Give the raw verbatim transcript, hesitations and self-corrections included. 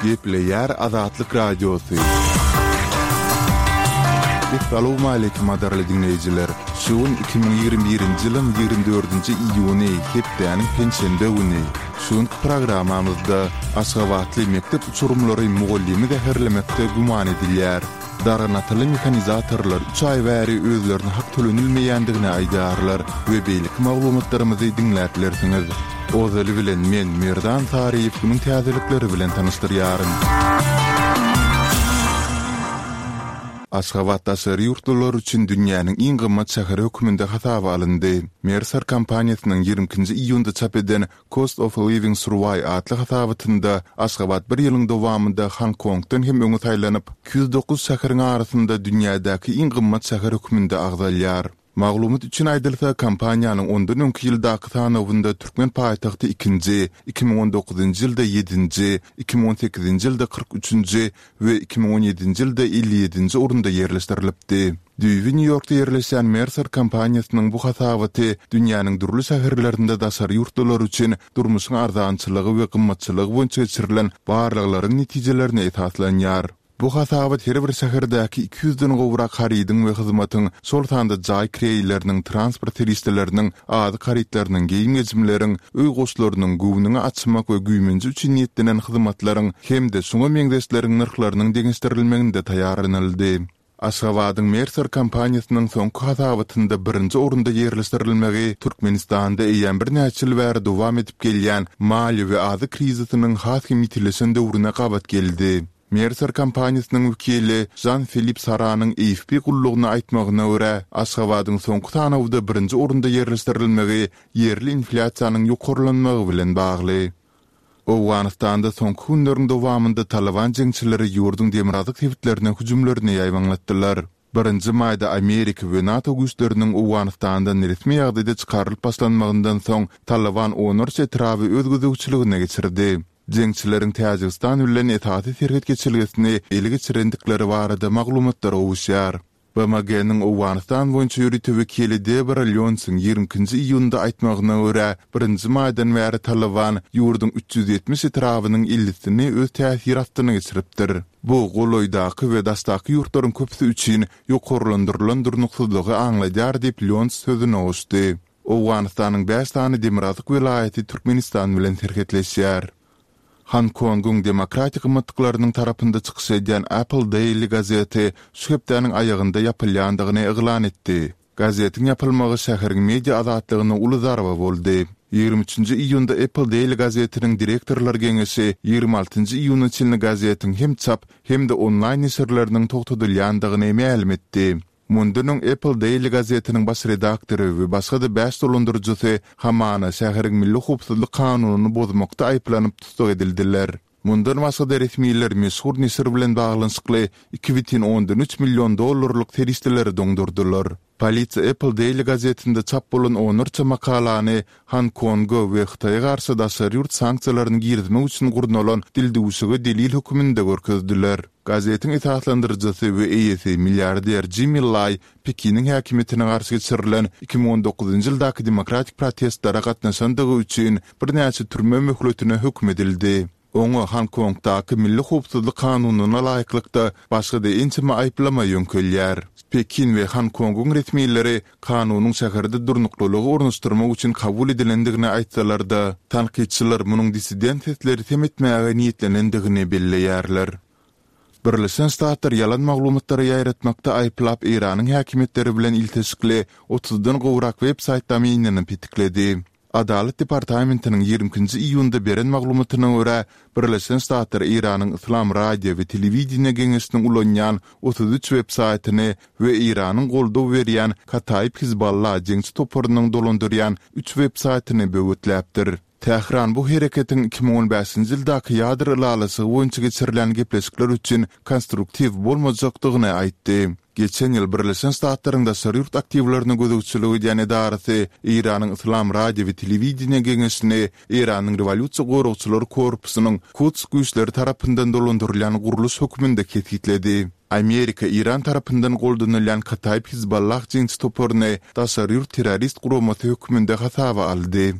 Gepleýär Azatlyk Radiosy. Essalawmaleýkim gadyrly diňleýjiler! Şu gün iki müň ýigrimi birinji ýylyň ýigrimi dördünji iýuny, hepdäniň penşenbe güni. Şu günki programmamyzda aşgabatly mekdep uçurymlary mugallymy zäherlemekde güman edilýär. Darganataly mehanizatorlar üç aý bäri özlerine hak tölenilmeýändigini aýdýarlar we beýleki maglumatlarymyzy diňläp bilersiňiz. Ozaly bilen men, Merdan Saryýew günüň täzelikleri bilen tanyşdyrýaryn. Aşgabat daşary ýurtlular üçin dünýäniň iň gymmat şäheri hökmünde hasaba alyndy. Mercer kompaniýasynyň ýigrimi ikinji iýunda çap eden Cost of Living Survey atly hasabatynda Aşgabat bir ýylyň dowamynda Honkongdan hem öňe saýlanyp, iki ýüz dokuz şäheriň arasynda dünýädäki iň gymmat şäher hökmünde agzalýar. Maglumat üçin aýdylsa, kompaniýanyň ondan öňki ýyldaky sanawynda türkmen paýtagty ikinji, iki müň on dokuzynjy ýylda ýedinji, iki müň on sekizinji ýylda kyrk üçünji we iki müň on ýedinji ýylda elli ýedinji orunda ýerleşdirilipdi. Düýbi Nýu-Ýorkda ýerleşýän Mercer kompaniýasynyň bu hasabaty dünýäniň dürli şäherlerinde daşary ýurtlular üçin durmuşyň arzançylygy we gymmatçylygy boýunça geçirilen barlaglaryň netijelerine esaslanýar. Bu hasabat her bir şäherdäki iki ýüzden gowrak harydyň we hyzmatyň, şol sanda jaý kireýleriniň, transport serişdeleriniň, azyk harytlarynyň, geýim-gejimleriň, öý goşlarynyň, göwnüňi açmak we güýmenje üçin niýetlenen hyzmatlaryň hem-de şuňa meňzeşleriň nyrhlarynyň deňeşdirilmeginde taýýarlanyldy. Aşgabadyň Mercer kompaniýasynyň soňky hasabatynda birinji orunda ýerleşdirilmegi Türkmenistanda eýýäm birnäçe ýyl bäri dowam edip gelýän maliýe we azyk krizisiniň has hem ýitileşen döwrüne gabat geldi. Mercer kompaniýasynyň wekili Žan-Filip Saranyň A F P gullugyna aýtmagyna görä, Aşgabadyň soňky sanawda birinji orunda ýerleşdirilmegi ýerli inflýasiýanyň ýokarlanmagy bilen bagly. Owganystanda soňky günleriň dowamynda Talyban jeňçileri ýurduň demirgazyk sebitlerine hüjümlerini ýaýbaňlatdylar. Birinji maýda Amerika we NATO güýçleriniň Owganystandan resmi ýagdaýda çykarylyp başlanmagyndan soň Talyban onlarça etraby öz gözegçiligine geçirdi. Jeňçileriň Täjigistan bilen esasy serhet geçelgesini ele geçirendikleri barada maglumatlar gowuşýar. B M G-niň Owganystan boýunça ýörite wekili Debora Lýonsyň ýigrimi ikinji iýunda aýtmagyna görä, birinji maýdan bäri Talyban ýurduň üç ýüz ýetmiş etrabynyň ellisini öz täsiri astyna geçiripdir. Bu golaýdaky we daşdaky ýurtlaryň köpüsi üçin ýokarlandyrylan durnuksyzlygy aňladýar diýip Lýons sözüne goşdy. Owganystanyň bäş sany demirgazyk welaýaty Türkmenistan bilen serhetleşýär. Honkongyň demokratik gymmatlyklarynyň tarapynda çykyş edýän Apple Daily gazeti şu hepdäniň aýagynda ýapylýandygyny yglan etdi. Gazetiň ýapylmagy şäheriň media azatlygyna uly zarba boldy. Ýigrimi üçünji iýunda Apple Daily gazetiniň direktorlar geňeşi ýigrimi altynjy iýuna çenli gazetiň hem çap, hem-de onlaýn neşirleriniň togtadylýandygyny mälim etdi. Mundan öň Apple Daily gazetiniň baş redaktory we başga-da bäş dolandyryjysy hamana şäheriň milli howpsuzlyk kanunyny bozmakda aýyplanyp tussag edildiler. Mundan başga-da resmiler meşhur neşir bilen baglanyşykly iki bütin ondan üç million dollarlyk serişdeleri doňdurdylar. Polisiýa Apple Daily gazetinde çap bolan onlarça makalany Honkonga we Hytaýa garşy daşary ýurt sanksiýalaryny girizmek üçin gurnalan dildüwşüge delil hökmünde görkezdiler. Gazetiň esaslandyryjysy we eýesi milliarder Jimmi Lai Pekiniň häkimiýetine garşy geçirilen iki müň on dokuzynjy ýyldaky demokratik protestlere gatnaşandygy üçin birnäçe türme möhletine höküm edildi. Oňa Honkongdaky milli howpsuzlyk kanunyna laýyklykda başga-da ençeme aýyplama ýöňkelýär. Pekin we Honkongyň resmileri kanunyň şäherde durnuklylygy ornaşdyrmak üçin kabul edilendigini aýtsalar-da, tankytçylar munuň dissident sesleri sem etmäge niýetlenendigini belleýärler. Birleşen Ştatlar ýalan maglumatlary ýaýratmakda aýyplap Eýranyň häkimiýetleri bilen ilteşikli otuzdan gowrak web-saýt domenini petikledi. Adalat departamentiniň ýigrimi ikinji iýunda beren maglumatyna görä, Birleşen Ştatlar Eýranyň Yslam radio we telewideniýe geňeşiniň ulanýan otuz üç web-saýtyny we Eýranyň goldaw berýän Kataib Hizballah jeňçi toparynyň dolandyrýan üç web-saýtyny böwetläpdir. Tähran bu hereketiň iki müň on bäşinji ýyldaky ýadro ylalaşygy boýunça geçirilen gepleşikler üçin konstruktiw bolmajakdygyny aýtdy. Geçen ýyl Birleşen Ştatlaryň daşary ýurt aktiwlerine gözegçilik edýän edarasy Eýranyň Yslam radio we telewideniýe geňeşini Eýranyň Rewolýusiýa goragçylary korpusynyň Kuds güýçleri tarapyndan dolandyrylýan gurluş hökmünde kesgitledi. Amerika Eýran tarapyndan goldanylýan Kataib Hizballah jeňçi toparyny daşary ýurt terrorist guramasy hökmünde hasaba aldy.